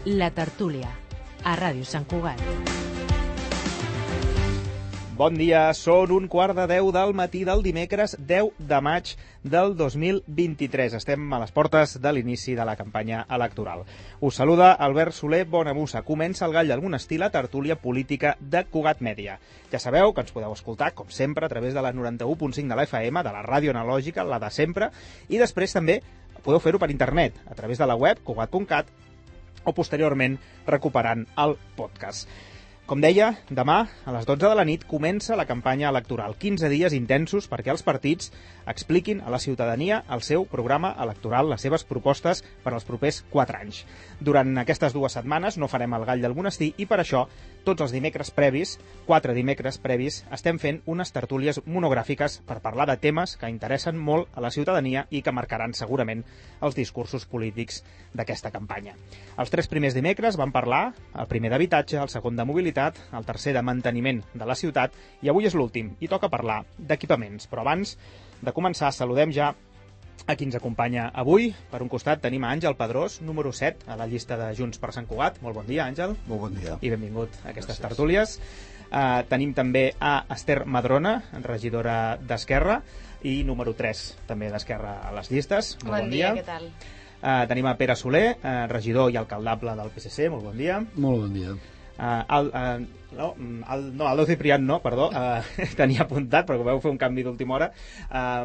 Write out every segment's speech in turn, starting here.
La Tertúlia, a Ràdio Sant Cugat. Bon dia, són 9:45 del matí del dimecres 10 de maig del 2023. Estem a les portes de l'inici de la campanya electoral. Us saluda Albert Soler Bonamussa. Comença el Gall del Monestir, la tertúlia política de Cugat Mèdia. Ja sabeu que ens podeu escoltar, com sempre, a través de la 91.5 de la FM, de la ràdio analògica, la de sempre, i després també podeu fer-ho per internet, a través de la web cugat.cat, o posteriorment recuperant el podcast. Com deia, demà, a les 12 de la nit, comença la campanya electoral. 15 dies intensos perquè els partits expliquin a la ciutadania el seu programa electoral, les seves propostes per als propers 4 anys. Durant aquestes 2 setmanes no farem el Gall del Monestir i per això, tots els dimecres previs, 4 dimecres previs, estem fent unes tertúlies monogràfiques per parlar de temes que interessen molt a la ciutadania i que marcaran segurament els discursos polítics d'aquesta campanya. Els 3 primers dimecres vam parlar, el primer d'habitatge, el segon de mobilitat, el tercer de manteniment de la ciutat i avui és l'últim i toca parlar d'equipaments. Però abans de començar saludem ja a qui ens acompanya avui. Per un costat tenim a Àngel Pedrós, número 7 a la llista de Junts per Sant Cugat. Molt bon dia, Àngel. Molt bon dia. I benvingut a aquestes tertúlies. Tenim també a Esther Madrona, regidora d'Esquerra i número 3 també d'Esquerra a les llistes. Molt bon dia. Què tal? Tenim a Pere Soler, regidor i alcaldable del PSC. Molt bon dia. Molt bon dia. Aldo Ciprián no, perdó, tenia apuntat, però vau fer un canvi d'última hora.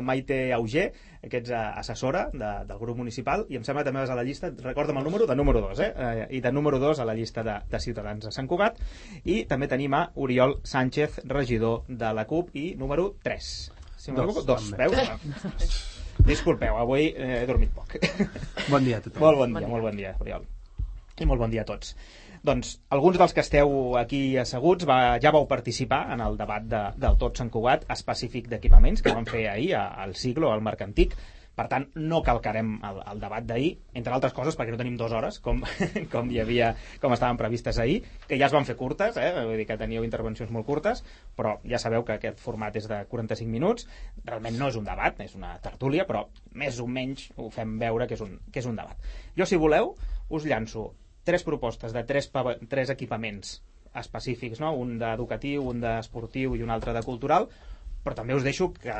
Maite Auger, que ets assessora del grup municipal, i em sembla que també vas a la llista, recorda'm el número, de número 2, i de número 2 a la llista de Ciutadans a Sant Cugat. I també tenim a Oriol Sánchez, regidor de la CUP, i número 3. Si m'equivoco, 2, veus? Disculpeu, avui he dormit poc. Bon dia a tothom. Molt bon dia, Oriol. I molt bon dia a tots. Doncs alguns dels que esteu aquí asseguts ja vau participar en el debat del Tot Sant Cugat específic d'equipaments que vam fer ahir al Siglo, al Marc Antic. Per tant, no calcarem el debat d'ahir, entre altres coses perquè no tenim 2 hores, com estaven previstes ahir, que ja es van fer curtes, vull dir que teníeu intervencions molt curtes, però ja sabeu que aquest format és de 45 minuts. Realment no és un debat, és una tertúlia, però més o menys ho fem veure que és un debat. Jo, si voleu, us llanço 3 propostes de 3 equipaments específics, no? Un d'educatiu, un d'esportiu i un altre de cultural, però també us deixo que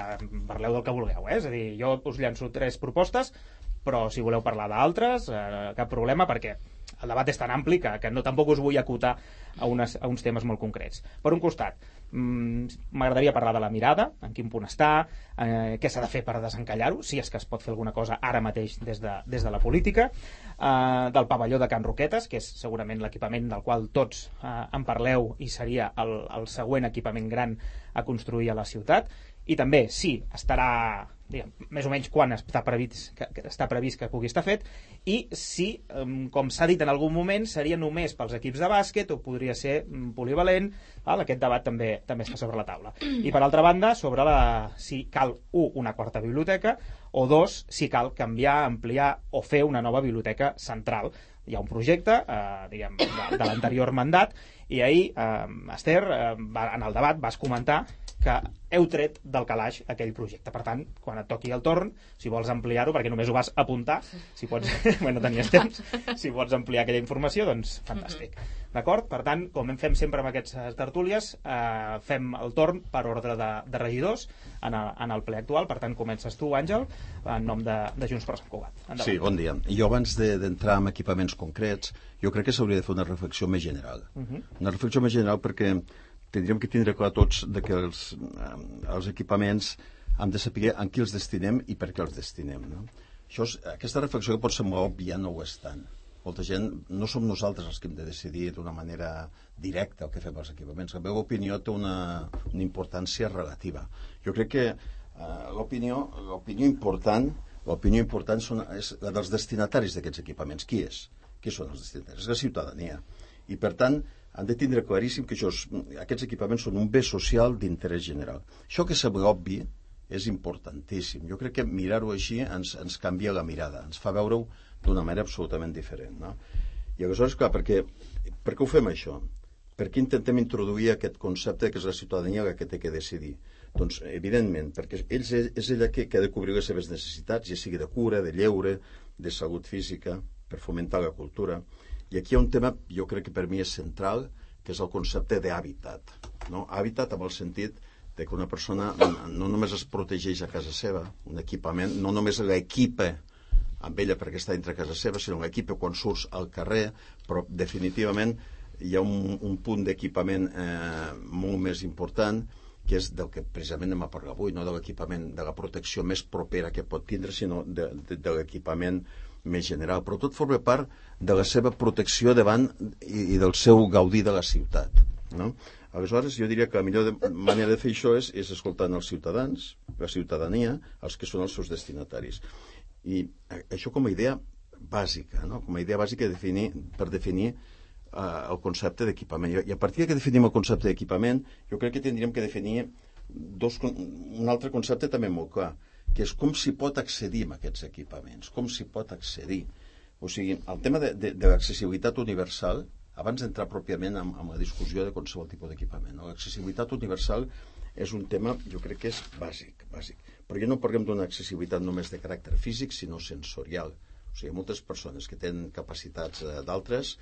parleu del que vulgueu, És a dir, jo us llanço 3 propostes, però si voleu parlar d'altres, cap problema, perquè el debat és tan ampli que no tampoc us vull acotar a uns temes molt concrets. Per un costat, m'agradaria parlar de la mirada, en quin punt està, què s'ha de fer per desencallar-ho, si és que es pot fer alguna cosa ara mateix des de la política, del pavelló de Can Roquetes, que és segurament l'equipament del qual tots en parleu i seria el següent equipament gran a construir a la ciutat, i també si estarà, diguem, més o menys quan està previst que pugui estar fet, i si, com s'ha dit en algun moment, seria només pels equips de bàsquet o podria ser polivalent. Aquest debat també està sobre la taula. I per altra banda, sobre si cal, una quarta biblioteca, o 2, si cal canviar, ampliar o fer una nova biblioteca central. Hi ha un projecte de l'anterior mandat, i ahir, Esther, en el debat vas comentar que heu tret del calaix aquell projecte. Per tant, quan et toqui el torn, si vols ampliar-ho, perquè només ho vas apuntar, si pots, no tenies temps, si pots ampliar aquella informació, doncs fantàstic. D'acord? Per tant, com fem sempre amb aquestes tertúlies, fem el torn per ordre de regidors en el ple actual. Per tant, comences tu, Àngel, en nom de Junts per Sant Cugat. Endavant. Sí, bon dia. Jo, abans d'entrar en equipaments concrets, jo crec que s'hauria de fer una reflexió més general. Una reflexió més general perquè tindríem que tindre clar tots que els equipaments hem de saber en qui els destinem i per què els destinem, no? Aquesta reflexió que pot semblar òbvia no ho és tant. Molta gent, no som nosaltres els que hem de decidir d'una manera directa el que fem als equipaments. La meva opinió té una importància relativa. Jo crec que l'opinió important és la dels destinataris d'aquests equipaments. Qui és? Qui són els destinataris? És la ciutadania. I per tant, han de tindre claríssim que aquests equipaments són un bé social d'interès general. Això que sembla obvi és importantíssim. Jo crec que mirar-ho així ens canvia la mirada, ens fa veure-ho d'una manera absolutament diferent, no? I aleshores, clar, per què ho fem això? Per què intentem introduir aquest concepte que és la ciutadania la que té que decidir? Doncs, evidentment, perquè és ella que ha de cobrir les seves necessitats, ja sigui de cura, de lleure, de salut física, per fomentar la cultura. I aquí hi ha un tema, jo crec que per mi és central, que és el concepte d'hàbitat. No? Hàbitat amb el sentit de que una persona no només es protegeix a casa seva, un equipament, no només l'equipa amb ella perquè està dintre casa seva, sinó l'equipa quan surts al carrer, però definitivament hi ha un punt d'equipament molt més important, que és del que precisament anem a parlar avui, no de l'equipament, de la protecció més propera que pot tindre, sinó de l'equipament més general. Però tot forma part de la seva protecció davant i del seu gaudir de la ciutat. No? Aleshores, jo diria que la millor manera de fer això és escoltant els ciutadans, la ciutadania, els que són els seus destinataris. I això com a idea bàsica, no? Com a idea bàsica per definir el concepte d'equipament. I a partir que definim el concepte d'equipament, jo crec que tindríem que definir un altre concepte també molt clar, que és com s'hi pot accedir a aquests equipaments, com s'hi pot accedir. O sigui, el tema de l'accessibilitat universal, abans d'entrar pròpiament en la discussió de qualsevol tipus d'equipament, no? L'accessibilitat universal és un tema, jo crec que és bàsic. Però ja no parlem d'una accessibilitat només de caràcter físic, sinó sensorial. O sigui, hi ha moltes persones que tenen capacitats d'altres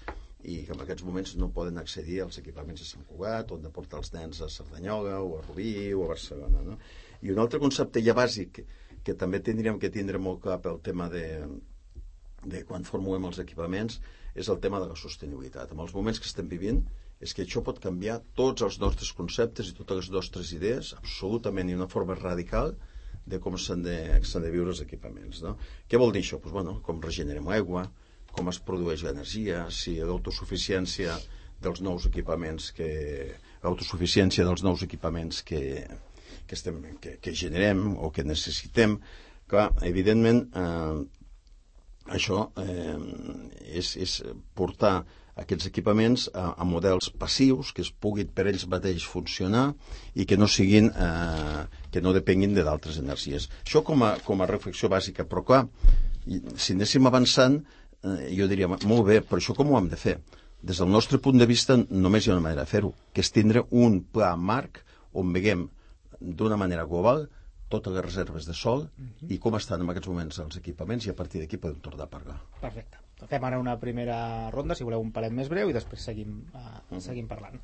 i que en aquests moments no poden accedir als equipaments de Sant Cugat, on de portar els nens a Cerdanyola, o a Rubí, o a Barcelona. No? I un altre concepte ja bàsic que també tindríem que tindre molt clar pel tema de quan formulem els equipaments és el tema de la sostenibilitat. En els moments que estem vivint és que això pot canviar tots els nostres conceptes i totes les nostres idees absolutament i d'una forma radical de com s'han de viure els equipaments. No? Què vol dir això? Pues, bueno, com regenerem l'aigua, com es produeix l'energia, si l'autosuficiència dels nous equipaments que generem o que necessitem. Clar, evidentment, això és portar aquests equipaments a models passius que es puguin per ells mateix funcionar i que no siguin que no depenguin d'altres energies. Això com a reflexió bàsica, però clar, si anéssim avançant, jo diria, molt bé, però això com ho hem de fer? Des del nostre punt de vista només hi ha una manera de fer-ho, que és tindre un pla marc on veiem d'una manera global totes les reserves de sol i com estan en aquests moments els equipaments i a partir d'aquí podem tornar a parlar. Perfecte. Fem ara una primera ronda, si voleu un palet més breu i després seguim parlant.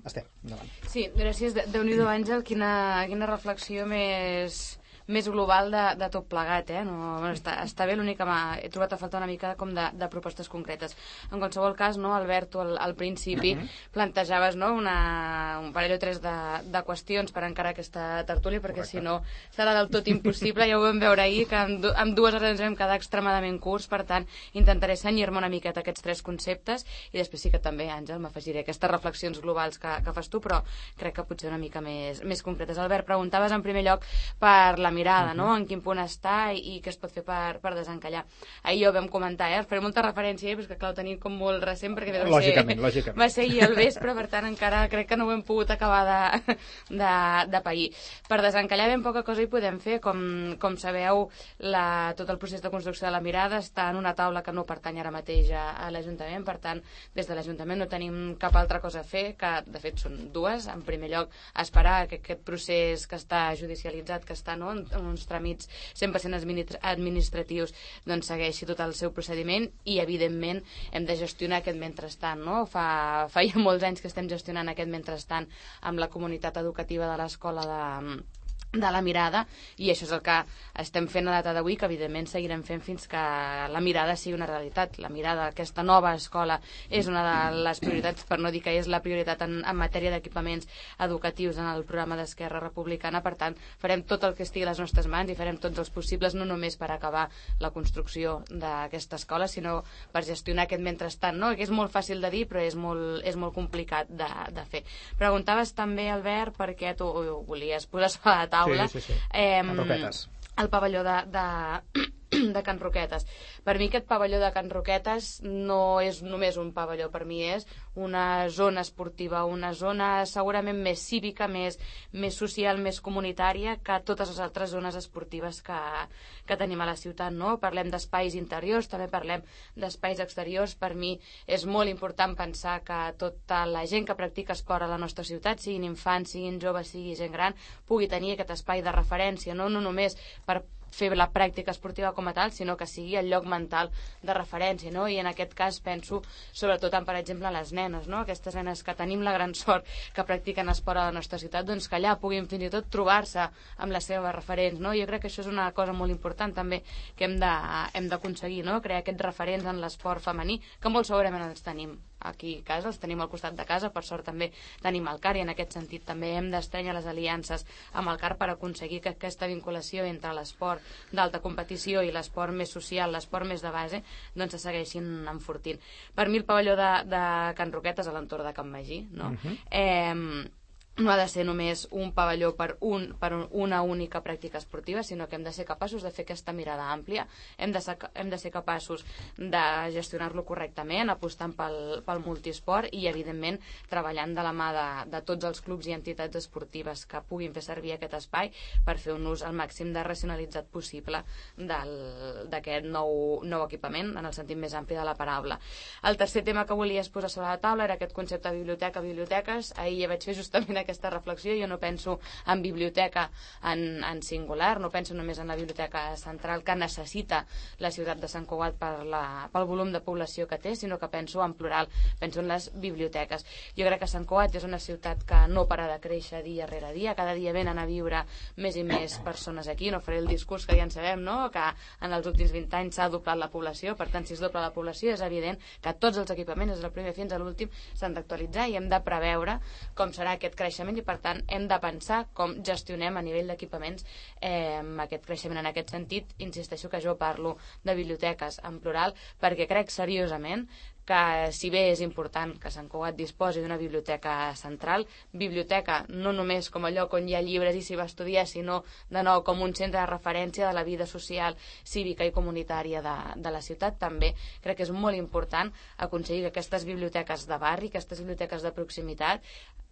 Estem, endavant. Sí, gràcies. Déu-n'hi-do, Àngel, quina reflexió més global de tot plegat, eh? No, bueno, està bé, l'únic que he trobat a faltar una mica com de propostes concretes. En qualsevol cas, no, Albert, tu al principi plantejaves, no, un parell o tres de qüestions per encarar aquesta tertúlia, perquè si no serà del tot impossible. Ja ho vam veure ahir, que amb 2 hores ens vam quedar extremadament curts, per tant, intentaré senyir-me una miqueta aquests 3 conceptes i després sí que també, Àngel, m'afegiré aquestes reflexions globals que fas tu, però crec que potser una mica més concretes. Albert, preguntaves en primer lloc per la mirada, no? En quin punt està i què es pot fer per desencallar. Ahir ho vam comentar, faré molta referència, però és que clar, ho tenim com molt recent, perquè lògicament. Va ser ahir al vespre, per tant encara crec que no ho hem pogut acabar de pair. Per desencallar ben poca cosa hi podem fer, com sabeu, tot el procés de construcció de la mirada està en una taula que no pertany ara mateix a l'Ajuntament, per tant, des de l'Ajuntament no tenim cap altra cosa a fer, que de fet són 2. En primer lloc, esperar que aquest procés que està judicialitzat, que està en uns tràmits 100% administratius, doncs segueixi tot el seu procediment i, evidentment, hem de gestionar aquest mentrestant, no? Fa ja molts anys que estem gestionant aquest mentrestant amb la comunitat educativa de l'escola de la mirada, i això és el que estem fent a data d'avui, que evidentment seguirem fent fins que la mirada sigui una realitat. La mirada, aquesta nova escola, és una de les prioritats, per no dir que és la prioritat en matèria d'equipaments educatius en el programa d'Esquerra Republicana. Per tant, farem tot el que estigui a les nostres mans i farem tots els possibles, no només per acabar la construcció d'aquesta escola, sinó per gestionar aquest mentrestant, no? Que és molt fàcil de dir, però és molt complicat de fer. Preguntaves també, Albert, perquè tu ho volies posar sobre la taula. Sí. Can Roquetes. El pavelló de Can Roquetes. Per mi aquest pavelló de Can Roquetes no és només un pavelló, per mi és una zona esportiva, una zona segurament més cívica, més social, més comunitària que totes les altres zones esportives que tenim a la ciutat, no? Parlem d'espais interiors, també parlem d'espais exteriors. Per mi és molt important pensar que tota la gent que practica esport a la nostra ciutat, siguin infants, siguin joves, sigui gent gran, pugui tenir aquest espai de referència, no només per fer la pràctica esportiva com a tal, sinó que sigui el lloc mental de referència, no? I en aquest cas penso sobretot en, per exemple, les nenes, no? Aquestes nenes que tenim la gran sort que practiquen esport a la nostra ciutat, doncs que allà puguin fins i tot trobar-se amb les seves referents, no? Jo crec que això és una cosa molt important també que hem d'aconseguir, no? Crear aquests referents en l'esport femení, que molt segurament els tenim aquí a casa, els tenim al costat de casa, per sort també tenim el CAR, i en aquest sentit també hem d'estrènyer les aliances amb el CAR per aconseguir que aquesta vinculació entre l'esport d'alta competició i l'esport més social, l'esport més de base, doncs se segueixin enfortint. Per mi el pavelló de Can Roquetes a l'entorn de Can Magí, no? No ha de ser només un pavelló per una única pràctica esportiva, sinó que hem de ser capaços de fer aquesta mirada àmplia, hem de ser capaços de gestionar-lo correctament, apostant pel multiesport i, evidentment, treballant de la mà de tots els clubs i entitats esportives que puguin fer servir aquest espai per fer un ús al màxim de racionalitzat possible d'aquest nou equipament, en el sentit més ampli de la paraula. El tercer tema que volies posar sobre la taula era aquest concepte de biblioteca-biblioteques. Ahir ja vaig fer justament aquesta reflexió. Jo no penso en biblioteca en singular, no penso només en la biblioteca central que necessita la ciutat de Sant Cugat pel volum de població que té, sinó que penso en plural, penso en les biblioteques. Jo crec que Sant Cugat és una ciutat que no para de créixer dia rere dia, cada dia venen a viure més i més persones aquí, no faré el discurs que ja en sabem, no? Que en els últims 20 anys s'ha doblat la població, per tant, si es dobla la població és evident que tots els equipaments, des del primer fins a l'últim, s'han d'actualitzar i hem de preveure com serà aquest creixement i, per tant, hem de pensar com gestionem a nivell d'equipaments aquest creixement. En aquest sentit, insisteixo que jo parlo de biblioteques en plural perquè crec seriosament que, si bé és important que Sant Cugat disposi d'una biblioteca central, biblioteca no només com a lloc on hi ha llibres i s'hi va estudiar, sinó de nou com un centre de referència de la vida social, cívica i comunitària de la ciutat, també crec que és molt important aconseguir que aquestes biblioteques de barri, aquestes biblioteques de proximitat,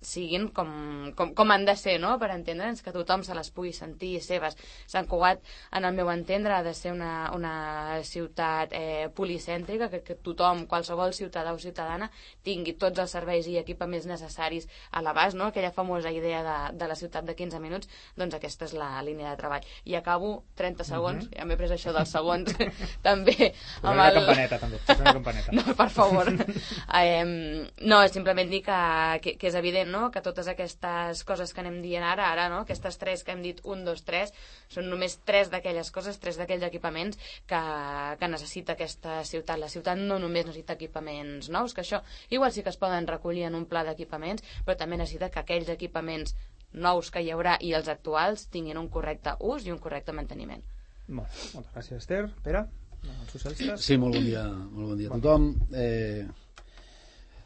siguin com han de ser, no? Per entendre'ns, que tothom se les pugui sentir seves. Sant Cugat, en el meu entendre, ha de ser una ciutat policèntrica, que tothom, qualsevol ciutadà o ciutadana, tingui tots els serveis i equipaments necessaris a l'abast, no? Aquella famosa idea de la ciutat de 15 minuts, doncs aquesta és la línia de treball. I acabo 30 segons, ja m'he pres això dels segons, també. Posa una campaneta, també. Posa una campaneta. No, per favor. No, simplement dir que és evident, no? Que totes aquestes coses que anem dient ara, no? Aquestes tres que hem dit, 1, 2, 3, són només 3 d'aquelles coses, 3 d'aquells equipaments que necessita aquesta ciutat. La ciutat no només necessita equipaments nous, que això igual sí que es poden recollir en un pla d'equipaments, però també necessita que aquells equipaments nous que hi haurà i els actuals tinguin un correcte ús i un correcte manteniment. Moltes gràcies, Esther. Pere, els socialistes? Sí, molt bon dia a tothom.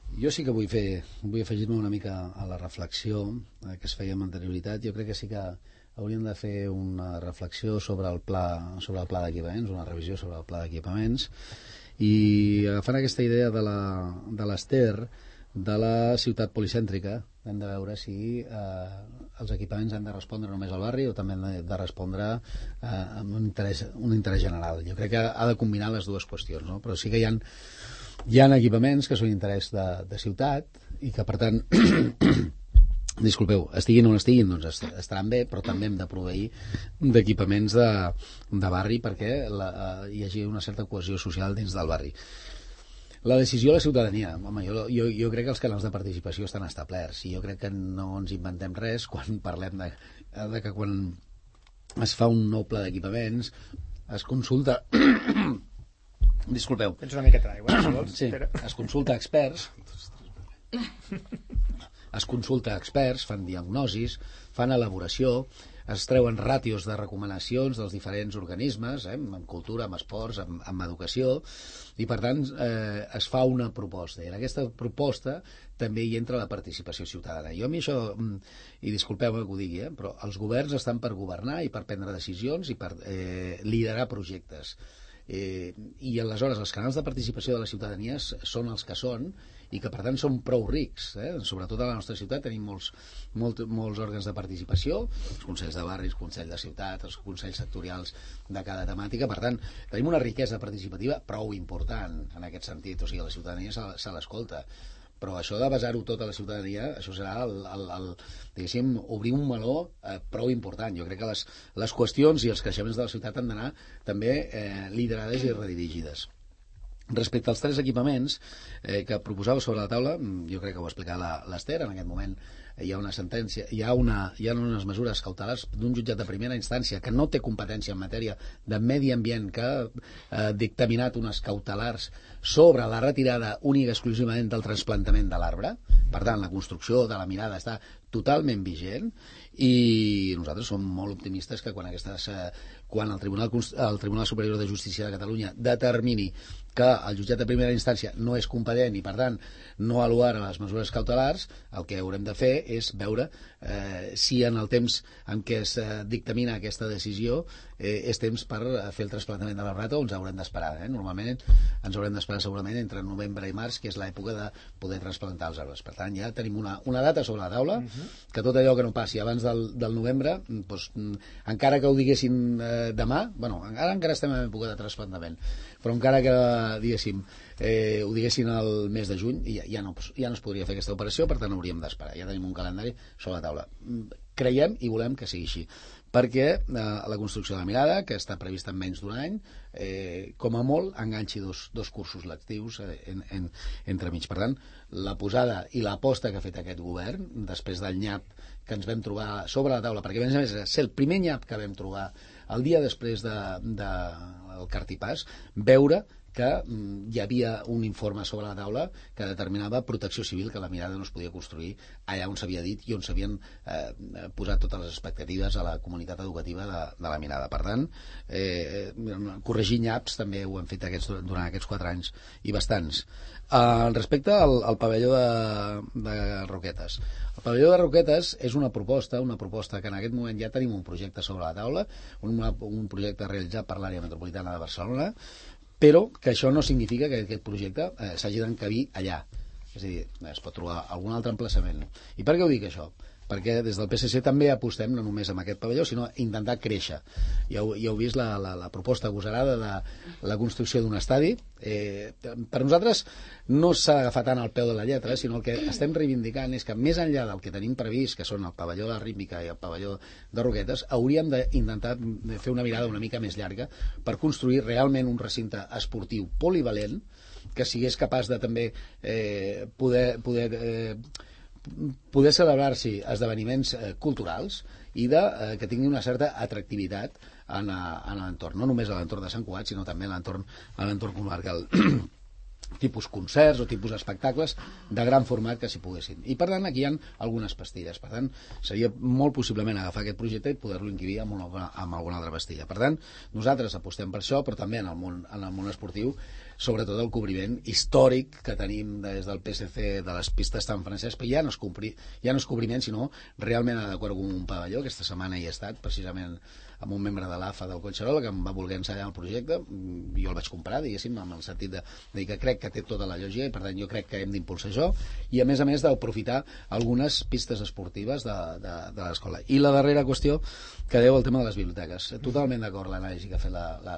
Jo sí que vull afegir-me una mica a la reflexió que es feia amb anterioritat. Jo crec que sí que hauríem de fer una reflexió sobre el pla d'equipaments, una revisió sobre el pla d'equipaments, i agafant aquesta idea de l'Ester, de la ciutat policèntrica, hem de veure si els equipaments han de respondre només al barri o també han de respondre amb un interès general. Jo crec que ha de combinar les dues qüestions, no? Però sí que hi ha equipaments que són interès de ciutat i que, per tant, disculpeu, estiguin on estiguin, doncs estaran bé, però també hem de proveir d'equipaments de barri perquè hi hagi una certa cohesió social dins del barri. La decisió de la ciutadania, home, jo crec que els canals de participació estan establerts i jo crec que no ens inventem res quan parlem de que quan es fa un nou pla d'equipaments es consulta disculpeu. Tens una miqueta d'aigua, si vols. Sí, es consulta experts, fan diagnosis, fan elaboració, es treuen ràtios de recomanacions dels diferents organismes, en cultura, en esports, en educació, i per tant es fa una proposta. I en aquesta proposta també hi entra la participació ciutadana. Jo a mi això, i disculpeu-me que ho digui, però els governs estan per governar i per prendre decisions i per liderar projectes. I aleshores els canals de participació de la ciutadania són els que són i que per tant són prou rics, sobretot a la nostra ciutat tenim molts òrgans de participació, els consells de barris, els consells de ciutat, els consells sectorials de cada temàtica, per tant tenim una riquesa participativa prou important en aquest sentit, o sigui, la ciutadania se l'escolta. però això de basar-ho tot a la ciutadania, això serà diguéssim, obrir un meló prou important. Jo crec que les qüestions i els creixements de la ciutat han d'anar també liderades i redirigides. Respecte als 3 equipaments que proposava sobre la taula, jo crec que ho va explicar l'Ester. En aquest moment hi ha una sentència, hi ha unes mesures cautelars d'un jutjat de primera instància que no té competència en matèria de medi ambient, que ha dictaminat unes cautelars sobre la retirada única exclusivament del trasplantament de l'arbre. Per tant, la construcció de la mirada està totalment vigent i nosaltres som molt optimistes que quan el Tribunal Superior de Justícia de Catalunya determini que el jutjat de primera instància no és competent i per tant no aluara les mesures cautelars, el que haurem de fer és veure si en el temps en què es dictamina aquesta decisió és temps per fer el trasplantament de l'arbre o ens haurem d'esperar. Normalment ens haurem d'esperar segurament entre novembre i març, que és l'època de poder trasplantar els arbres. Per tant, ja tenim una data sobre la taula, que tot allò que no passi abans del novembre, doncs, encara que ho diguessin demà, ara encara estem en època de trasplantament, però encara que diguéssim ho diguessin el mes de juny, ja no es podria fer aquesta operació, per tant hauríem d'esperar. Ja tenim un calendari sobre la taula. Creiem i volem que sigui així, perquè la construcció de la mirada, que està prevista en menys d'un any, com a molt enganxi dos cursos lectius entremig. Per tant, la posada i l'aposta que ha fet aquest govern, després del nyap que ens vam trobar sobre la taula, perquè a més va ser el primer nyap que vam trobar el dia després del cartipàs, veure que hi havia un informe sobre la taula que determinava Protecció Civil, que la mirada no es podia construir allà on s'havia dit i on s'havien posat totes les expectatives a la comunitat educativa de la mirada. Per tant, corregir nyaps també ho hem fet durant aquests 4 anys i bastants. Respecte al pavelló de Roquetes. El pavelló de Roquetes és una proposta que en aquest moment ja tenim un projecte sobre la taula, un projecte realitzat per l'àrea metropolitana de Barcelona, però que això no significa que aquest projecte s'hagi d'encabir allà. És a dir, es pot trobar algun altre emplaçament. I per què ho dic, això? Perquè des del PSC també apostem no només amb aquest pavelló, sinó intentar créixer. Ja heu vist la proposta agosarada de la construcció d'un estadi. Per nosaltres no s'ha d'agafar tant al peu de la lletra, sinó el que estem reivindicant és que més enllà del que tenim previst, que són el pavelló de Rítmica i el pavelló de Roquetes, hauríem d'intentar fer una mirada una mica més llarga per construir realment un recinte esportiu polivalent que sigués capaç de també poder celebrar-s'hi esdeveniments culturals i que tingui una certa atractivitat en l'entorn, no només a l'entorn de Sant Cugat, sinó també a l'entorn comarcal. Tipus concerts o tipus espectacles de gran format que s'hi poguessin. I per tant aquí hi ha algunes pastilles. Per tant, seria molt possiblement agafar aquest projecte i poder-lo encabir amb alguna altra pastilla. Per tant, nosaltres apostem per això, però també en el món esportiu, sobretot el cobriment històric que tenim des del PSC de les pistes Sant Francesc, però ja no és cobriment, sinó realment adequar-ho com un pavelló. Aquesta setmana hi he estat, precisament amb un membre de l'AFA del Collserola que em va voler ensenyar el projecte, jo el vaig comprar, diguéssim, amb el sentit de dir que crec que té tota la lògica i per tant jo crec que hem d'impulsar això i a més d'aprofitar algunes pistes esportives de l'escola. I la darrera qüestió que deu al tema de les biblioteques. Totalment d'acord l'anàlisi que ha fet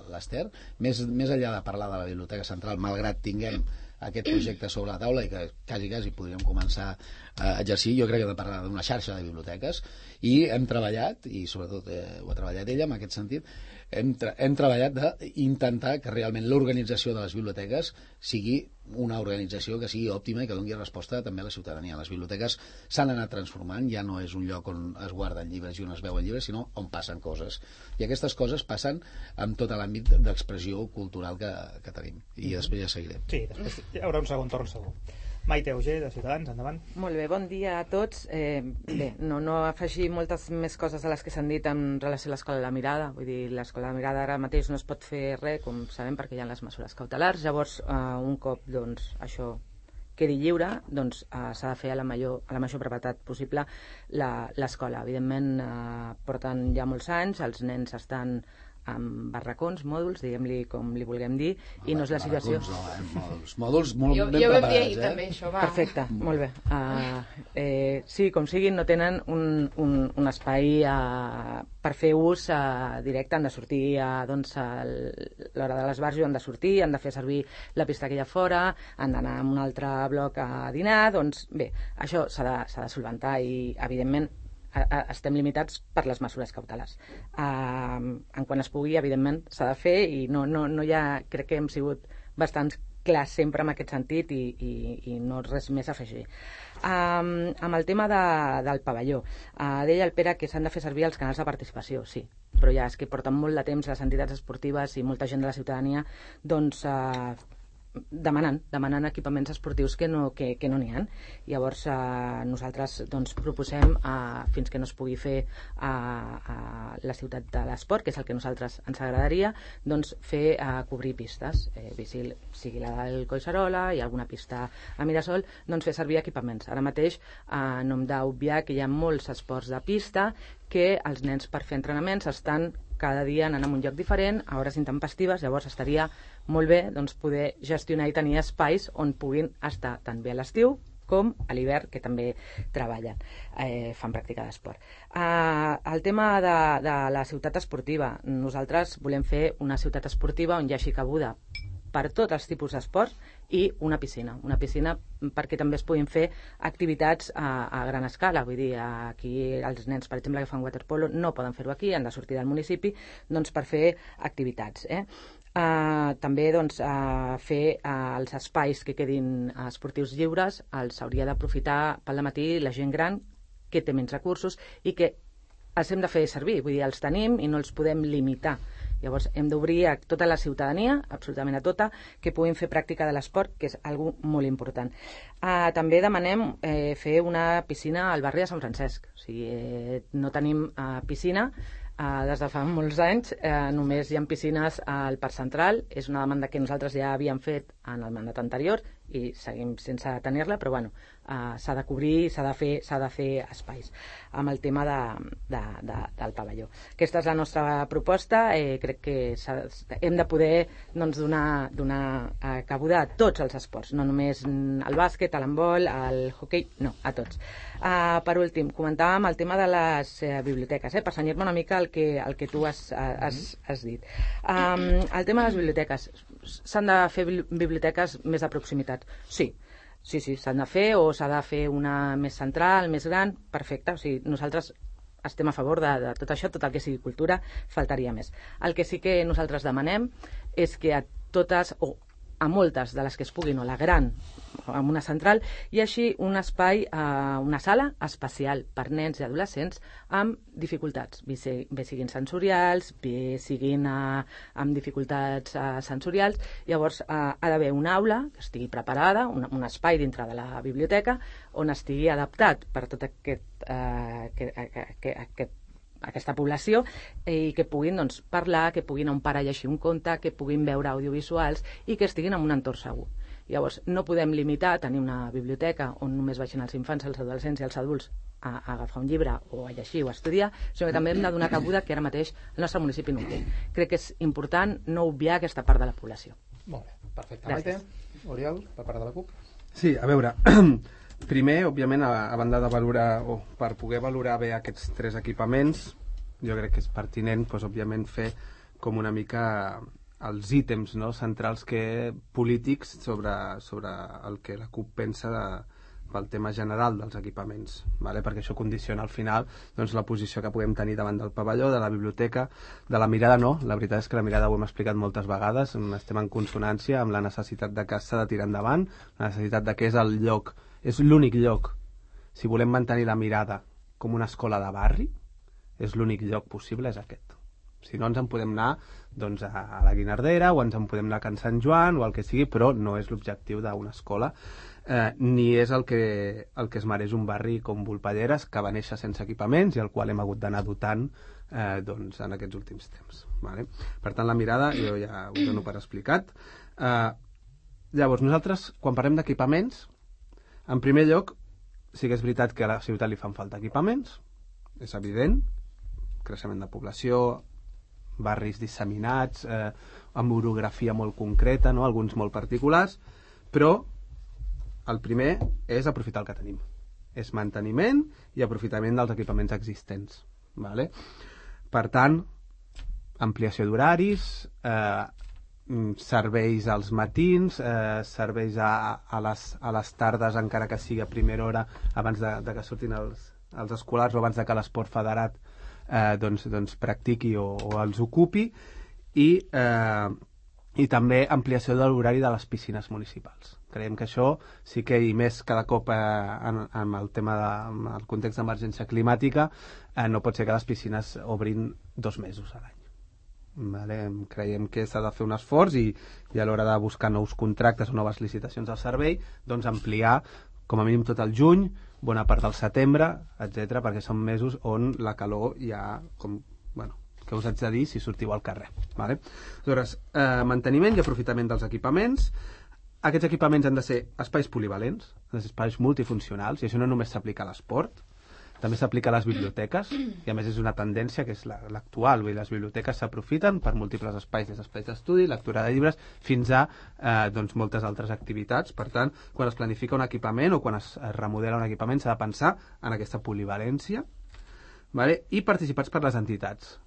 l'Ester. Més enllà de parlar de la biblioteca central, malgrat tinguem aquest projecte sobre la taula i que quasi podríem començar a exercir, jo crec que hem de parlar d'una xarxa de biblioteques i hem treballat, i sobretot ho ha treballat ella en aquest sentit, hem treballat d'intentar que realment l'organització de les biblioteques sigui una organització que sigui òptima i que doni resposta també a la ciutadania. Les biblioteques s'han anat transformant, ja no és un lloc on es guarden llibres i on es veuen llibres, sinó on passen coses. I aquestes coses passen en tot l'àmbit d'expressió cultural que tenim. I després ja seguirem. Sí, després hi haurà un segon torn segur. Maite Auger, de Ciutadans, endavant. Molt bé, bon dia a tots. Bé, no afegir moltes més coses a les que s'han dit en relació a l'Escola de la Mirada. Vull dir, l'Escola de la Mirada ara mateix no es pot fer res, com sabem, perquè hi ha les mesures cautelars. Llavors, un cop això quedi lliure, s'ha de fer a la major brevetat possible l'escola. Evidentment, porten ja molts anys, els nens estan amb barracons, mòduls, diguem-li com li vulguem dir, i no és la situació... Mòduls molt ben preparats, Jo vam dir ahir també això, va. Perfecte, molt bé. Sí, com sigui, no tenen un espai per fer ús directe. Han de sortir doncs, a l'hora de l'esbarjo, han de sortir, han de fer servir la pista que hi ha fora, han d'anar a un altre bloc a dinar. Doncs bé, això s'ha de solventar i, evidentment, estem limitats per les mesures cautelars. En quan es pugui, evidentment, s'ha de fer i no hi ha... Crec que hem sigut bastants clars sempre en aquest sentit i no res més a afegir. Amb el tema del pavelló, deia el Pere que s'han de fer servir els canals de participació, sí, però ja és que porten molt de temps les entitats esportives i molta gent de la ciutadania doncs demanant equipaments esportius que no n'hi ha. Llavors nosaltres doncs, proposem fins que no es pugui fer a la ciutat de l'esport, que és el que a nosaltres ens agradaria, doncs fer cobrir pistes, sigui la del Collserola i alguna pista a Mirasol, doncs fer servir equipaments. Ara mateix no hem d'obviar que hi ha molts esports de pista que els nens per fer entrenaments estan cada dia anant a un lloc diferent, a hores intempestives. Llavors estaria molt bé doncs, poder gestionar i tenir espais on puguin estar tant bé a l'estiu com a l'hivern, que també treballen, fan pràctica d'esport. El tema de la ciutat esportiva. Nosaltres volem fer una ciutat esportiva on hi hagi cabuda per tots els tipus d'esports i una piscina perquè també es puguin fer activitats a gran escala. Vull dir, aquí els nens, per exemple, que fan waterpolo no poden fer-ho aquí, han de sortir del municipi doncs, per fer activitats. També doncs, fer els espais que quedin esportius lliures els hauria d'aprofitar pel matí la gent gran que té menys recursos i que els hem de fer servir, vull dir, els tenim i no els podem limitar. Llavors hem d'obrir a tota la ciutadania, absolutament a tota, que puguin fer pràctica de l'esport, que és algo molt important. També demanem fer una piscina al barri de Sant Francesc. O sigui, no tenim piscina des de fa molts anys, només hi ha piscines al Parc Central. És una demanda que nosaltres ja havíem fet en el mandat anterior i seguim sense tenir-la, però bueno, s'ha de cobrir, s'ha de fer espais amb el tema del pavelló. Aquesta és la nostra proposta. Crec que hem de poder doncs, donar cabuda a tots els esports, no només al bàsquet, a l'handbol, al hoquei, no, a tots. Per últim, comentàvem el tema de les biblioteques, per cenyir-me una mica el que tu has dit. El tema de les biblioteques. S'han de fer biblioteques més de proximitat? Sí, s'han de fer, o s'ha de fer una més central, més gran, perfecte. O sigui, nosaltres estem a favor de tot això, tot el que sigui cultura, faltaria més. El que sí que nosaltres demanem és que a totes, o a moltes de les que es puguin, o la gran, amb una central, hi hagi un espai, una sala especial per nens i adolescents amb dificultats, bé siguin sensorials, bé siguin amb dificultats sensorials. Llavors ha d'haver una aula que estigui preparada, un espai dintre de la biblioteca on estigui adaptat per tot aquesta població i que puguin doncs, parlar, que puguin a un pare llegir un conte, que puguin veure audiovisuals i que estiguin en un entorn segur. Llavors, no podem limitar a tenir una biblioteca on només vagin els infants, els adolescents i els adults a agafar un llibre o a llegir o a estudiar, sinó que també hem de donar cabuda que ara mateix el nostre municipi no ho té. Crec que és important no obviar aquesta part de la població. Molt bé, perfecte. Maite, Oriol, per part de la CUP. Sí, a veure, primer, òbviament, a banda de valorar, o per poder valorar bé aquests tres equipaments, jo crec que és pertinent, doncs, òbviament, fer com una mica els ítems, no?, centrals polítics sobre el que la CUP pensa pel tema general dels equipaments, ¿vale? Perquè això condiciona al final doncs, la posició que puguem tenir davant del pavelló, de la biblioteca, de la mirada no. La veritat és que la mirada ho hem explicat moltes vegades, estem en consonància amb la necessitat de que s'ha de tirar endavant, la necessitat de que és el lloc, és l'únic lloc, si volem mantenir la mirada com una escola de barri, és l'únic lloc possible, és aquest. Si no, ens en podem anar doncs, a la Guinardera, o ens en podem anar a Can Sant Joan, o el que sigui, però no és l'objectiu d'una escola, ni és el que es mereix un barri com Volpelleres, que va néixer sense equipaments i al qual hem hagut d'anar dotant doncs, en aquests últims temps. Vale? Per tant, la mirada jo ja ho dono per explicat. Llavors, nosaltres, quan parlem d'equipaments, en primer lloc, sí que és veritat que a la ciutat li fan falta equipaments, és evident, creixement de població, barris disseminats, amb orografia molt concreta, no? Alguns molt particulars, però el primer és aprofitar el que tenim. És manteniment i aprofitament dels equipaments existents. Vale? Per tant, ampliació d'horaris, serveis als matins, serveis a les tardes, encara que sigui a primera hora, abans de que surtin els escolars o abans de que l'esport federat doncs practiqui o els ocupi, i també ampliació de l'horari de les piscines municipals. Creiem que això sí que, i més cada cop en el tema del context d'emergència climàtica, no pot ser que les piscines obrin 2 mesos a l'any. Vale? Creiem que s'ha de fer un esforç i a l'hora de buscar nous contractes o noves licitacions al servei, doncs ampliar com a mínim tot el juny, bona part del setembre, etc, perquè són mesos on la calor ja, què us haig de dir si sortiu al carrer. Vale? Aleshores, manteniment i aprofitament dels equipaments. Aquests equipaments han de ser espais polivalents, han de ser espais multifuncionals, i això no només s'aplica a l'esport, també s'aplica a les biblioteques, i a més és una tendència que és l'actual. Les biblioteques s'aprofiten per múltiples espais, des d'espais d'estudi, lectura de llibres, fins a moltes altres activitats. Per tant, quan es planifica un equipament o quan es remodela un equipament s'ha de pensar en aquesta polivalència, vale? I participats per les entitats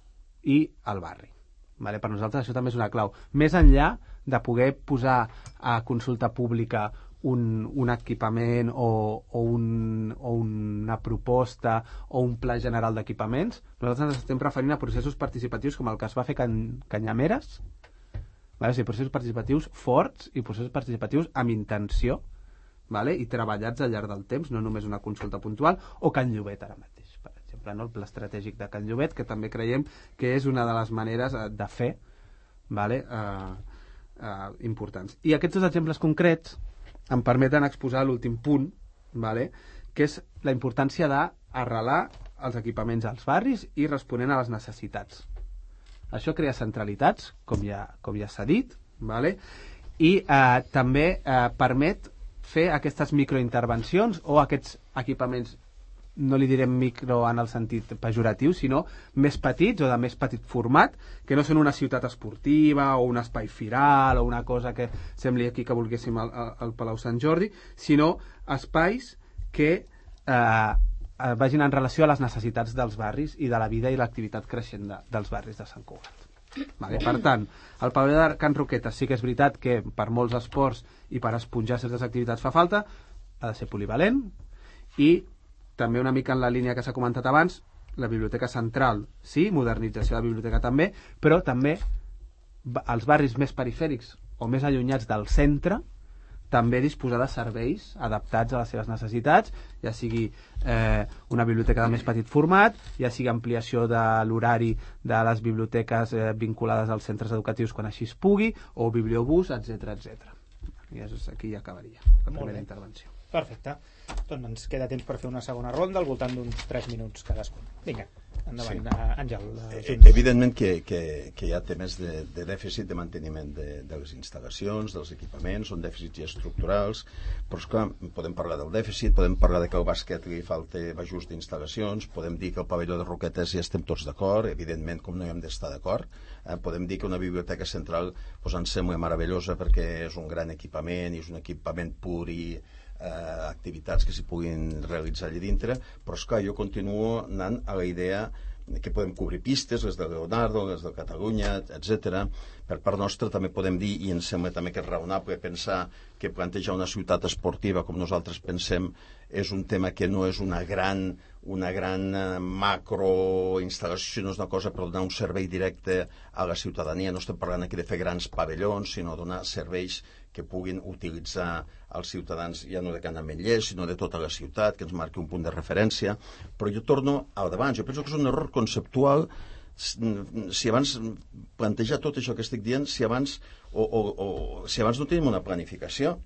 i el barri. Vale? Per nosaltres això també és una clau. Més enllà de poder posar a consulta pública un equipament o una proposta o un pla general d'equipaments, nosaltres ens estem referint a processos participatius com el que es va fer a Canyameres, vale? O sigui, processos participatius forts i processos participatius amb intenció, vale? I treballats al llarg del temps, no només una consulta puntual, o Can Llobet ara mateix, per exemple, no? El pla estratègic de Can Llobet, que també creiem que és una de les maneres de fer, vale? Importants. I aquests 2 exemples concrets em permeten exposar l'últim punt, vale? Que és la importància d'arrelar els equipaments als barris i responent a les necessitats. Això crea centralitats, com ja s'ha dit, vale? I també permet fer aquestes microintervencions o aquests equipaments, no li direm micro en el sentit pejoratiu, sinó més petits o de més petit format, que no són una ciutat esportiva o un espai firal o una cosa que sembli aquí que volguéssim al Palau Sant Jordi, sinó espais que vagin en relació a les necessitats dels barris i de la vida i l'activitat creixent dels barris de Sant Cugat. Vale, per tant, el pavelló de Can Roquetes sí que és veritat que per molts esports i per esponjar certes activitats fa falta, ha de ser polivalent, i també una mica en la línia que s'ha comentat abans, la biblioteca central, sí, modernització de la biblioteca també, però també els barris més perifèrics o més allunyats del centre, també disposar de serveis adaptats a les seves necessitats, ja sigui una biblioteca de més petit format, ja sigui ampliació de l'horari de les biblioteques vinculades als centres educatius quan així es pugui, o bibliobús, etc. I aquí ja acabaria la primera intervenció. Perfecte. Doncs ens queda temps per fer una segona ronda al voltant d'uns 3 minuts cadascun. Vinga, endavant, sí. Àngel. Evidentment que hi ha temes de dèficit de manteniment de les instal·lacions, dels equipaments, són dèficits estructurals, però esclar, podem parlar del dèficit, podem parlar de que al bàsquet li falta ajust d'instal·lacions, podem dir que el pavelló de Roquetes ja estem tots d'acord, evidentment, com no hi hem d'estar d'acord, podem dir que una biblioteca central ens sembla meravellosa perquè és un gran equipament i és un equipament pur i activitats que s'hi puguin realitzar allà dintre, però esclar, jo continuo anant a la idea que podem cobrir pistes, les de Leonardo, les de Catalunya, etc. Per part nostra també podem dir, i ens sembla també que és raonable pensar que plantejar una ciutat esportiva com nosaltres pensem és un tema que no és una gran macro instal·lació, no és una cosa per donar un servei directe a la ciutadania. No estem parlant aquí de fer grans pavellons, sinó donar serveis que puguin utilitzar els ciutadans, ja no de Can Ametllers, sinó de tota la ciutat, que ens marqui un punt de referència. Però jo torno al davant. Jo penso que és un error conceptual si abans plantejar tot això que estic dient, si abans no tenim una planificació.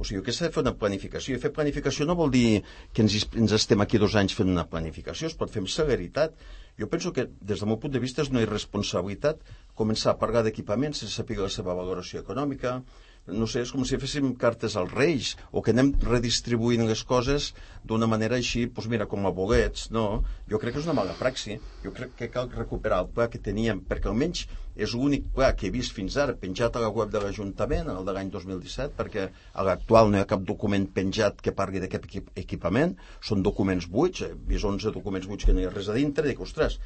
O sigui, que s'ha de fer una planificació. I fer planificació no vol dir que ens estem aquí 2 anys fent una planificació, es pot fer amb celeritat. Jo penso que, des del meu punt de vista, és una irresponsabilitat començar a parlar d'equipaments sense saber la seva valoració econòmica, no sé, és com si féssim cartes als Reis, o que anem redistribuint les coses d'una manera així, doncs mira, com a bolets, no? Jo crec que és una mala praxi. Jo crec que cal recuperar el pla que teníem, perquè almenys és l'únic pla que he vist fins ara penjat a la web de l'Ajuntament, el de l'any 2017, perquè a l'actual no hi ha cap document penjat que parli d'aquest equipament, són documents buits, he vist 11 documents buits que no hi ha res a dintre, i dic, ostres,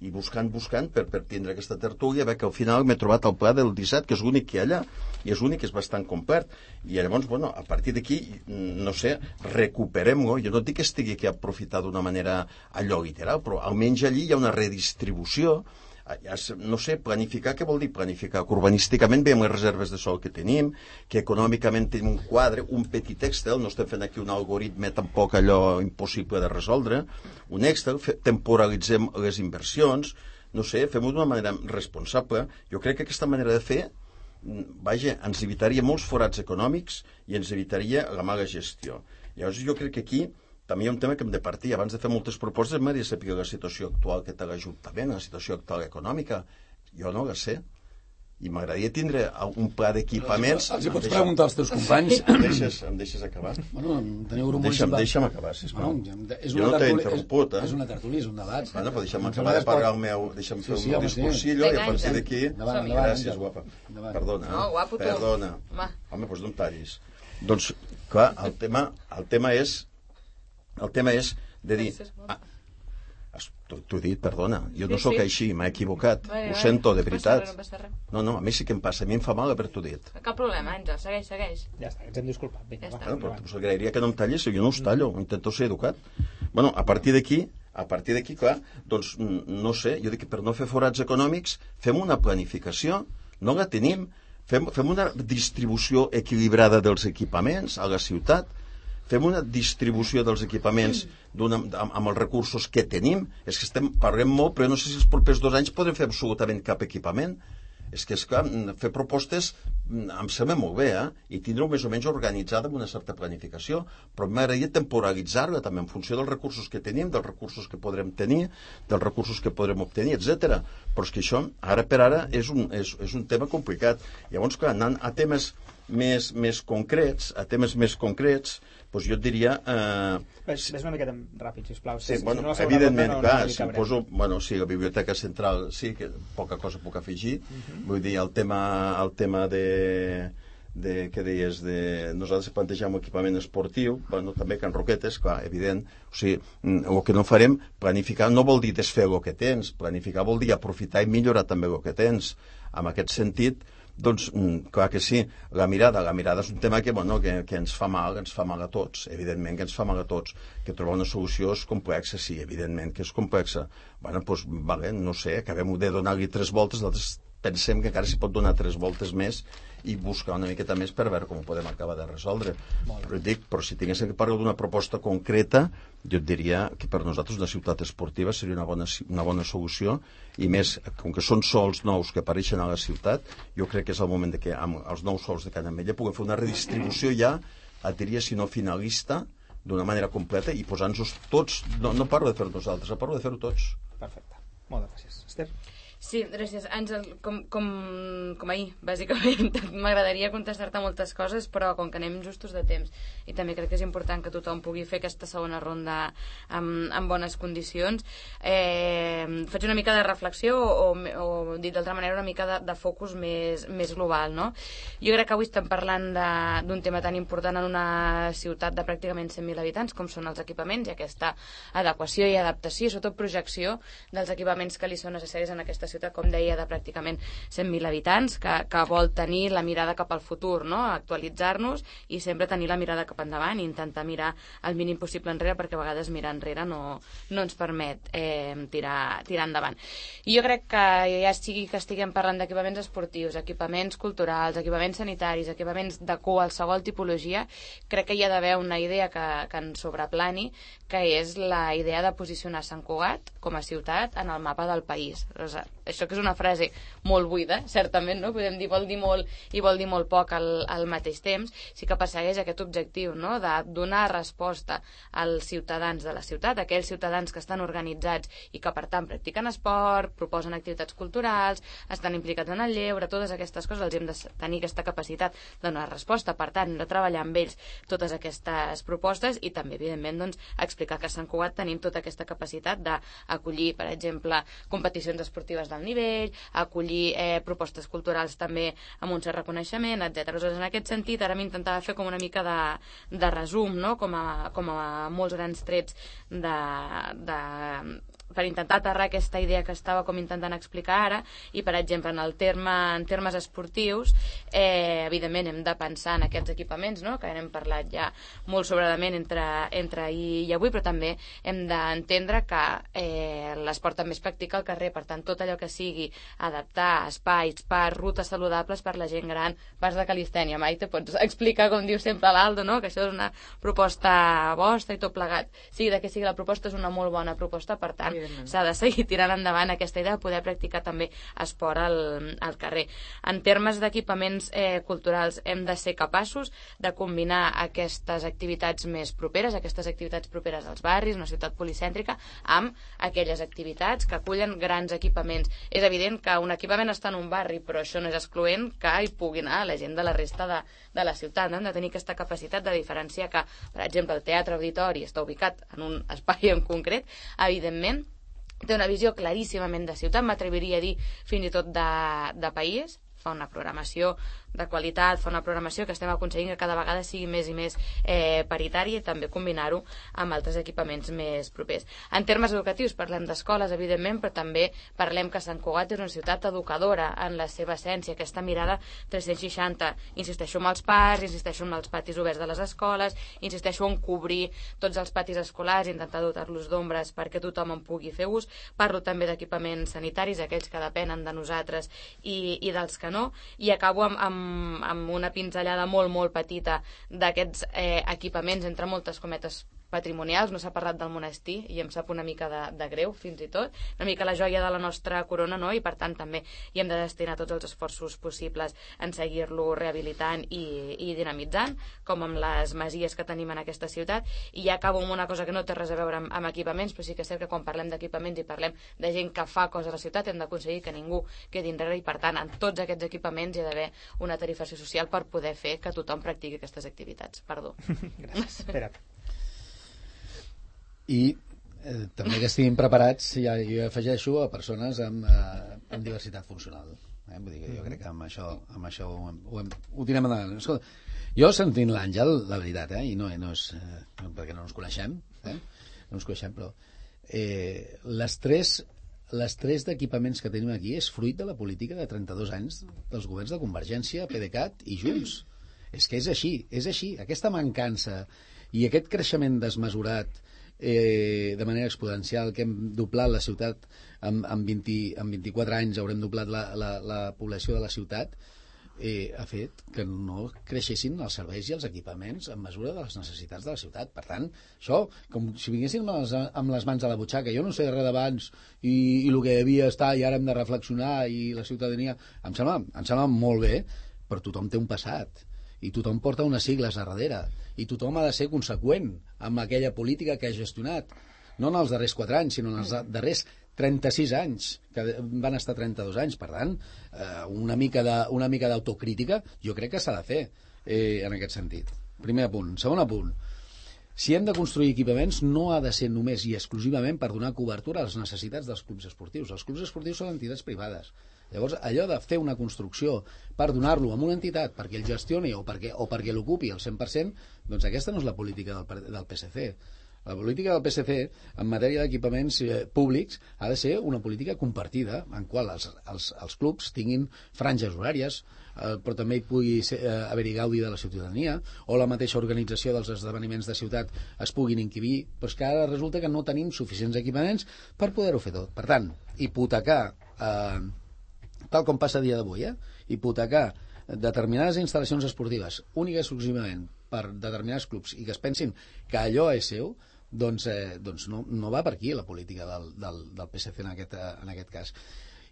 i buscant per tindre aquesta tertúlia, veig que al final m'he trobat el pla del 17, que és l'únic que hi ha allà, i és l'únic que és bastant complet. I llavors, bueno, a partir d'aquí, no sé, recuperem-lo. Jo no dic que estigui aquí a aprofitar d'una manera allò literal, però almenys allí hi ha una redistribució. No sé, planificar, què vol dir planificar? Que urbanísticament veiem les reserves de sol que tenim, que econòmicament tenim un quadre, un petit Excel, no estem fent aquí un algoritme tampoc allò impossible de resoldre, un Excel, temporalitzem les inversions, no sé, fem-ho d'una manera responsable. Jo crec que aquesta manera de fer, vaja, ens evitaria molts forats econòmics i ens evitaria la mala gestió. Llavors jo crec que aquí també hi ha un tema que hem de partir. Abans de fer moltes propostes m'agradaria saber la situació actual que té l'Ajuntament, la situació actual econòmica. Jo no la sé. I m'agradaria tindre un pla d'equipaments... Els hi pots preguntar als teus companys. Em deixes acabar? Bueno, teniu un deixa'm acabar, sisplau. Jo no t'he interromput, És una tertúlia, és un debat. Bueno, però deixa'm acabar de parlar el meu... Deixa'm fer el meu discursillo i a partir d'aquí... Gràcies, guapa. Perdona. No, guapo tu. Perdona. Home, doncs no em tallis. Doncs, clar, el tema és de dir... T'ho he dit, perdona. Jo no sóc així, m'he equivocat. Ho sento, de veritat. No, a mi sí que em passa. A mi em fa mal haver-t'ho dit. Cap problema, Àngel. Segueix. Ja està, ens hem disculpat. Vinga, ja però us agrairia que no em tallis, jo no us tallo. Intento ser educat. Bueno, a partir d'aquí, clar, doncs, no sé, jo dic que per no fer forats econòmics, fem una planificació, no la tenim, fem una distribució equilibrada dels equipaments a la ciutat, fem una distribució dels equipaments amb els recursos que tenim. És que parlem molt, però no sé si els propers 2 anys podrem fer absolutament cap equipament. És que, esclar, fer propostes em sembla molt bé, i tindre-ho més o menys organitzada amb una certa planificació, però m'agradaria temporalitzar-la també en funció dels recursos que tenim, dels recursos que podrem tenir, dels recursos que podrem obtenir, etc. Però és que això, ara per ara, és un tema complicat. Llavors, clar, anant a temes més concrets, doncs jo et diria... Ves una miqueta ràpid, sisplau. Sí, bueno, evidentment, clar, si poso... Bueno, sí, la Biblioteca Central, sí, que poca cosa puc afegir. Vull dir, el tema de què deies, nosaltres plantegem un equipament esportiu, bueno, també Can Roquetes, clar, evident. O sigui, el que no farem, planificar no vol dir desfer el que tens, planificar vol dir aprofitar i millorar també el que tens. En aquest sentit, doncs, clar que sí, la mirada és un tema que ens fa mal a tots, evidentment que ens fa mal a tots, que trobar una solució és complexa, sí, evidentment que és complexa. Bueno, doncs, vale, no sé, acabem de donar-li 3 voltes, nosaltres pensem que encara s'hi pot donar 3 voltes més i buscar una miqueta més per veure com ho podem acabar de resoldre. Però si tinguéssim que parlar d'una proposta concreta, jo et diria que per nosaltres una ciutat esportiva seria una bona solució, i més, com que són sols nous que apareixen a la ciutat, jo crec que és el moment que amb els nous sols de Can Ametlla puguem fer una redistribució ja, et diria, si no finalista, d'una manera completa, i posant-nos tots, no parlo de fer-ho nosaltres, parlo de fer-ho tots. Perfecte, moltes gràcies. Esther? Sí, gràcies, Àngel. Com ahir, bàsicament. M'agradaria contestar-te moltes coses, però com que anem justos de temps, i també crec que és important que tothom pugui fer aquesta segona ronda en bones condicions, faig una mica de reflexió o dit d'altra manera, una mica de focus més global, no? Jo crec que avui estem parlant d'un tema tan important en una ciutat de pràcticament 100.000 habitants com són els equipaments, i aquesta adequació i adaptació, i sobretot projecció dels equipaments que li són necessaris en aquesta ciutat, com deia, de pràcticament 100.000 habitants, que vol tenir la mirada cap al futur, no? Actualitzar-nos i sempre tenir la mirada cap endavant i intentar mirar el mínim possible enrere, perquè a vegades mirar enrere no ens permet tirar endavant. I jo crec que ja sigui que estiguem parlant d'equipaments esportius, equipaments culturals, equipaments sanitaris, equipaments de qualsevol tipologia, crec que hi ha d'haver una idea que ens sobreplani, que és la idea de posicionar Sant Cugat com a ciutat en el mapa del país. això que és una frase molt buida, certament, no? Podem dir vol dir molt i vol dir molt poc al mateix temps, sí que persegueix aquest objectiu, no? De donar resposta als ciutadans de la ciutat, aquells ciutadans que estan organitzats i que per tant practiquen esport, proposen activitats culturals, estan implicats en el lleure, totes aquestes coses els hem de tenir aquesta capacitat de donar resposta, per tant de treballar amb ells totes aquestes propostes i també evidentment doncs, explicar que a Sant Cugat tenim tota aquesta capacitat d'acollir, per exemple, competicions esportives d'alt nivell, acollir propostes culturals també amb un cert reconeixement, etc. Aleshores, en aquest sentit, ara m'intentava fer com una mica de resum, no? com a molts grans trets per intentar aterrar aquesta idea que estava com intentant explicar ara, i per exemple en termes esportius evidentment hem de pensar en aquests equipaments, no? Que n'hem parlat ja molt sobradament entre ahir i avui, però també hem d'entendre que l'esport també es practica al carrer, per tant tot allò que sigui adaptar espais, parcs, rutes saludables per la gent gran, parcs de calistènia. Maite, pots explicar, com diu sempre l'Aldo, no? Que això és una proposta vostra i tot plegat, sigui de què sigui la proposta, és una molt bona proposta, per tant s'ha de seguir tirant endavant aquesta idea de poder practicar també esport al carrer. En termes d'equipaments culturals hem de ser capaços de combinar aquestes activitats més properes, aquestes activitats properes als barris, una ciutat policèntrica, amb aquelles activitats que acullen grans equipaments. És evident que un equipament està en un barri, però això no és excloent que hi pugui anar la gent de la resta de la ciutat. No? Hem de tenir aquesta capacitat de diferenciar que, per exemple, el Teatre Auditori està ubicat en un espai en concret, evidentment té una visió claríssimament de ciutat, m'atreviria a dir fins i tot de país, fa una programació de qualitat, fa una programació que estem aconseguint que cada vegada sigui més i més paritària, i també combinar-ho amb altres equipaments més propers. En termes educatius parlem d'escoles, evidentment, però també parlem que Sant Cugat és una ciutat educadora en la seva essència, aquesta mirada 360. Insisteixo en els parcs, insisteixo en els patis oberts de les escoles, insisteixo en cobrir tots els patis escolars, intentar dotar-los d'ombres perquè tothom en pugui fer ús. Parlo també d'equipaments sanitaris, aquells que depenen de nosaltres i dels que no, i acabo amb una pinzellada molt, molt petita d'aquests equipaments, entre moltes cometes, patrimonials. No s'ha parlat del monestir i em sap una mica de greu, fins i tot, una mica la joia de la nostra corona, no? I per tant també hi hem de destinar tots els esforços possibles en seguir-lo rehabilitant i dinamitzant, com amb les masies que tenim en aquesta ciutat. I ja acabo amb una cosa que no té res a veure amb equipaments, però sí que és cert que quan parlem d'equipaments i parlem de gent que fa coses a la ciutat, hem d'aconseguir que ningú quedi enrere, i per tant en tots aquests equipaments hi ha d'haver una tarifació social per poder fer que tothom practiqui aquestes activitats. Perdó. Gràcies. Espera. I també que estiguin preparats, ja, jo afegeixo a persones amb diversitat funcional. Vull dir que jo crec que amb això ho tirem endavant. Escolta, jo sentint l'Àngel, la veritat, i no és perquè no ens coneixem, no ens coneixem, però les tres d'equipaments que tenim aquí és fruit de la política de 32 anys dels governs de Convergència, PDeCAT i Junts. És que és així. Aquesta mancança i aquest creixement desmesurat de manera exponencial, que hem doblat la ciutat en 24 anys, haurem doblat la població de la ciutat, ha fet que no creixessin els serveis i els equipaments en mesura de les necessitats de la ciutat. Per tant, això, com si vinguessin amb les mans a la butxaca, jo no sé res d'abans i el que devia estar i ara hem de reflexionar i la ciutadania, em sembla molt bé, però tothom té un passat i tothom porta unes sigles a darrere i tothom ha de ser conseqüent amb aquella política que ha gestionat, no en els darrers 4 anys, sinó en els darrers 36 anys, que van estar 32 anys. Per tant, una mica d'autocrítica jo crec que s'ha de fer en aquest sentit. Primer apunt. Segon apunt, si hem de construir equipaments no ha de ser només i exclusivament per donar cobertura a les necessitats dels clubs esportius. Els clubs esportius són entitats privades. Llavors, allò de fer una construcció per donar-lo a una entitat perquè el gestioni o perquè l'ocupi al 100%, doncs aquesta no és la política del PSC. La política del PSC en matèria d'equipaments públics ha de ser una política compartida, en qual els clubs tinguin franges horàries, però també hi pugui haver-hi gaudi de la ciutadania, o la mateixa organització dels esdeveniments de ciutat es puguin inquibir, però és que ara resulta que no tenim suficients equipaments per poder-ho fer tot. Per tant, hipotecar, tal com passa a dia d'avui, hipotecar determinades instal·lacions esportives únicament exclusivament per determinats clubs i que es pensin que allò és seu, doncs no va per aquí la política del PSC en aquest cas.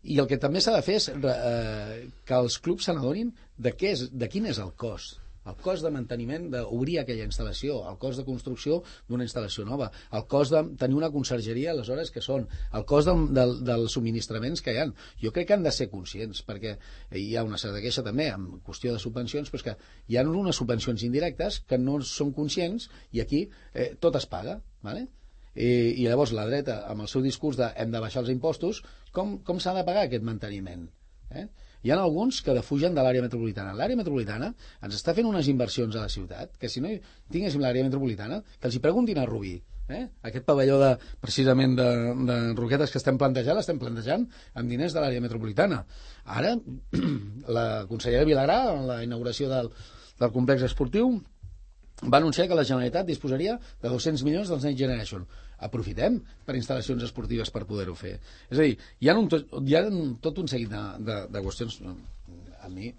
I el que també s'ha de fer és que els clubs se n'adonin de quin és el cost. El cost de manteniment d'obrir aquella instal·lació, el cost de construcció d'una instal·lació nova, el cost de tenir una consergeria, aleshores, que són, el cost dels subministraments que hi ha. Jo crec que han de ser conscients, perquè hi ha una certa queixa també en qüestió de subvencions, però és que hi ha unes subvencions indirectes que no són conscients i aquí tot es paga, ¿vale? I llavors la dreta, amb el seu discurs de hem de baixar els impostos, com s'ha de pagar aquest manteniment? Hi ha alguns que defugen de l'àrea metropolitana. L'àrea metropolitana ens està fent unes inversions a la ciutat, que si no tinguéssim l'àrea metropolitana, que els hi preguntin a Rubí. Aquest pavelló precisament de roquetes que l'estem plantejant amb diners de l'àrea metropolitana. Ara, la consellera Vilagrà, en la inauguració del complex esportiu, va anunciar que la Generalitat disposaria de 200 milions dels Next Generation. Aprofitem per instal·lacions esportives per poder-ho fer. És a dir, hi ha tot un seguit de qüestions. A mi,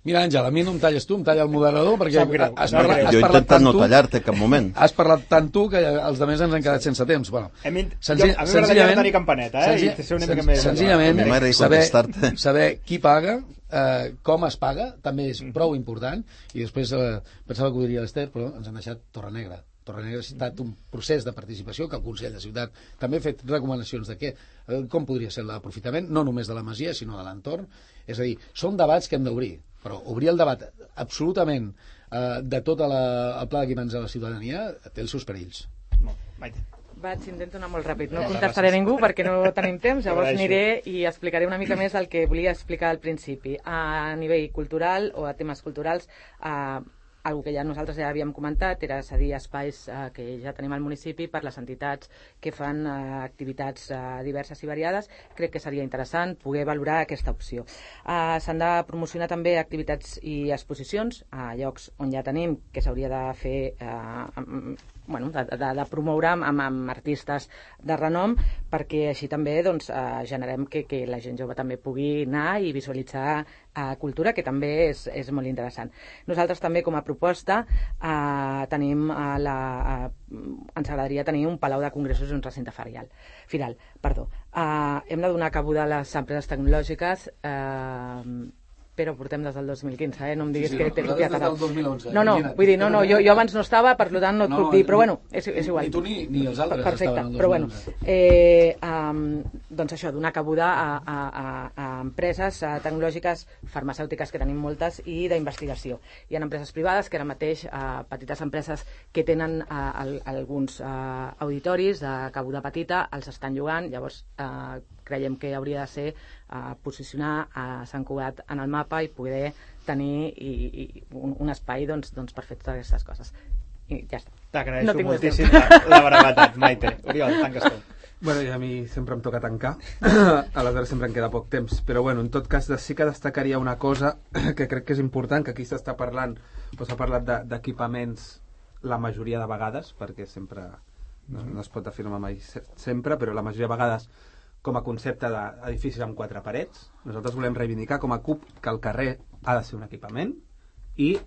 mira, Àngel, a mi no em talles tu, em talla el moderador, perquè has parlat jo he intentat no tallar-te en cap moment. Has parlat tant tu que els altres ens han quedat sense temps. Bueno, a mi m'agradaria tenir campaneta, i ser una mica més... Senzillament, saber qui paga, com es paga, també és prou important, i després pensava que ho diria l'Ester, però ens han deixat Torrenegra. Torrenegra ha estat un procés de participació que el Consell de Ciutat també ha fet recomanacions de com podria ser l'aprofitament, no només de la masia, sinó de l'entorn. És a dir, són debats que hem d'obrir, però obrir el debat absolutament de tot el pla d'equipaments de la ciutadania té els seus perills. Intento anar molt ràpid, no contestaré a ningú perquè no tenim temps, llavors aniré i explicaré una mica més el que volia explicar al principi. A nivell cultural o a temes culturals, algo que nosaltres ja havíem comentat era cedir espais que ja tenim al municipi per les entitats que fan activitats diverses i variades. Crec que seria interessant poder valorar aquesta opció. S'han de promocionar també activitats i exposicions a llocs on ja tenim, que s'hauria de fer de promoure amb artistes de renom, perquè així també generem que la gent jove també pugui anar i visualitzar cultura, que també és molt interessant. Nosaltres també, com a proposta, tenim ens agradaria tenir un palau de congressos i un recinte firal. Hem de donar cabuda a les empreses tecnològiques, però portem des del 2015, no em diguis que t'he copiat ara. Des del 2011. Vull dir, jo abans no estava, per tant no et puc dir, però bueno, és igual. Ni tu ni els altres estaven al 2011. Però bueno, doncs això, donar cabuda a empreses tecnològiques, farmacèutiques, que tenim moltes, i d'investigació. Hi ha empreses privades que ara mateix, petites empreses que tenen alguns auditoris de cabuda petita, els estan llogant, llavors creiem que hauria de ser posicionar a Sant Cugat en el mapa i poder tenir un espai per fer totes aquestes coses. I ja està. T'agraeixo moltíssim la brevetat, Maite. Oriol, tanques tu. Bueno, i a mi sempre em toca tancar, aleshores sempre em queda poc temps, però bueno, en tot cas sí que destacaria una cosa que crec que és important, que aquí s'està parlant, s'ha parlat d'equipaments la majoria de vegades, perquè sempre no es pot afirmar mai sempre, però la majoria de vegades com a concepte d'edificis amb 4 parets. Nosaltres volem reivindicar com a CUP que el carrer ha de ser un equipament i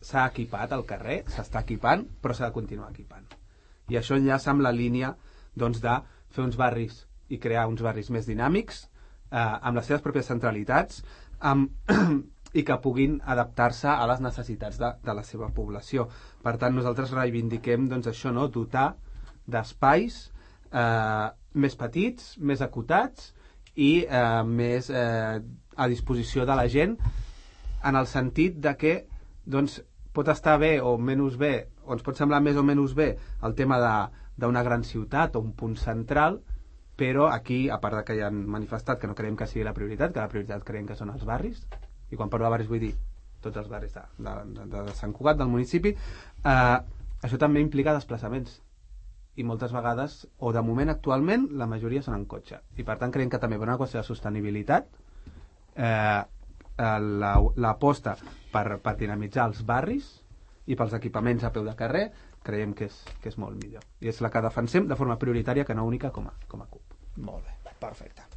s'ha equipat el carrer, s'està equipant, però s'ha de continuar equipant. I això enllaça amb la línia de fer uns barris i crear uns barris més dinàmics, amb les seves pròpies centralitats, i que puguin adaptar-se a les necessitats de la seva població. Per tant, nosaltres reivindiquem això, dotar d'espais més petits, més acotats i més a disposició de la gent, en el sentit de que pot estar bé o menys bé, o ens pot semblar més o menys bé el tema d'una gran ciutat o un punt central, però aquí, a part que ja han manifestat que no creiem que sigui la prioritat, que la prioritat creiem que són els barris, i quan parlo de barris vull dir tots els barris de Sant Cugat, del municipi, això també implica desplaçaments. I moltes vegades, o de moment actualment, la majoria són en cotxe. I per tant creiem que també per una qüestió de sostenibilitat l'aposta per dinamitzar els barris i pels equipaments a peu de carrer creiem que és molt millor. I és la que defensem de forma prioritària, que no única, com a CUP. Molt bé, perfecte.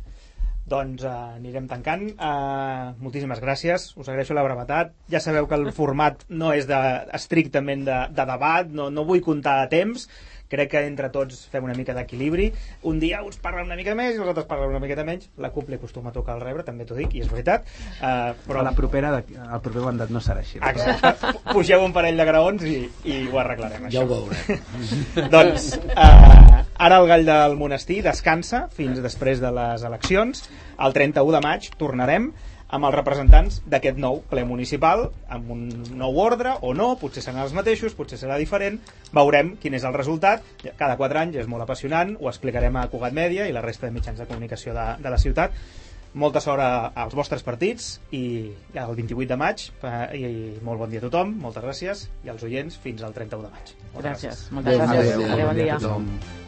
Doncs anirem tancant. Moltíssimes gràcies, us agraeixo la brevetat. Ja sabeu que el format no és estrictament de debat, no vull comptar temps, crec que entre tots fem una mica d'equilibri. Un dia uns parlen una mica més i els altres parlen una miqueta menys. La CUP li acostuma a tocar el rebre, també t'ho dic, i és veritat. Però la propera, el proper mandat no serà així. Exacte. Pugeu un parell de graons i ho arreglarem, Ja això. ho veurem. Doncs ara el Gall del Monestir descansa fins després de les eleccions. El 31 de maig tornarem amb els representants d'aquest nou ple municipal, amb un nou ordre o no, potser seran els mateixos, potser serà diferent, veurem quin és el resultat. Cada 4 anys és molt apassionant, ho explicarem a Cugat Mèdia i la resta de mitjans de comunicació de la ciutat. Molta sort als vostres partits i el 28 de maig i molt bon dia a tothom, moltes gràcies, i als oients fins al 31 de maig. Gràcies, moltes gràcies. Adéu, bon dia.